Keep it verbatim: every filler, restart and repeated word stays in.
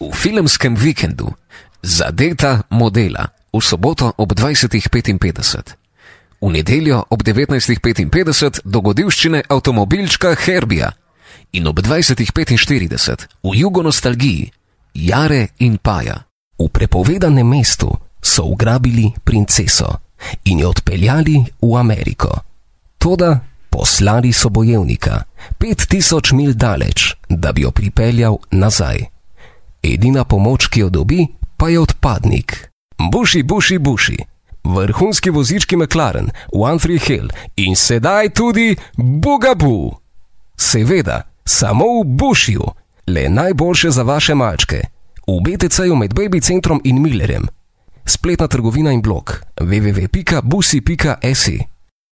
V filmskem vikendu Zadeta modela v soboto ob dvajset petinpetdeset. V nedeljo ob devetnajst petinpetdeset dogodivščine avtomobilčka Herbija in ob dvajset petinštirideset v jugonostalgiji Jare in Paja. V prepovedanem mestu so ugrabili princeso in jo odpeljali v Ameriko. Toda poslali so bojevnika pet tisoč milj daleč, da bi jo pripeljal nazaj. Edina pomoč, ki jo dobi, pa je odpadnik. Buši, buši, buši. Vrhunski vozički McLaren, One Tree Hill in sedaj tudi Bugaboo. Seveda, samo v Bušiju, le najboljše za vaše malčke. V B T C-ju med Baby centrom in Millerjem. Spletna trgovina in blog w w w pika busi pika s i.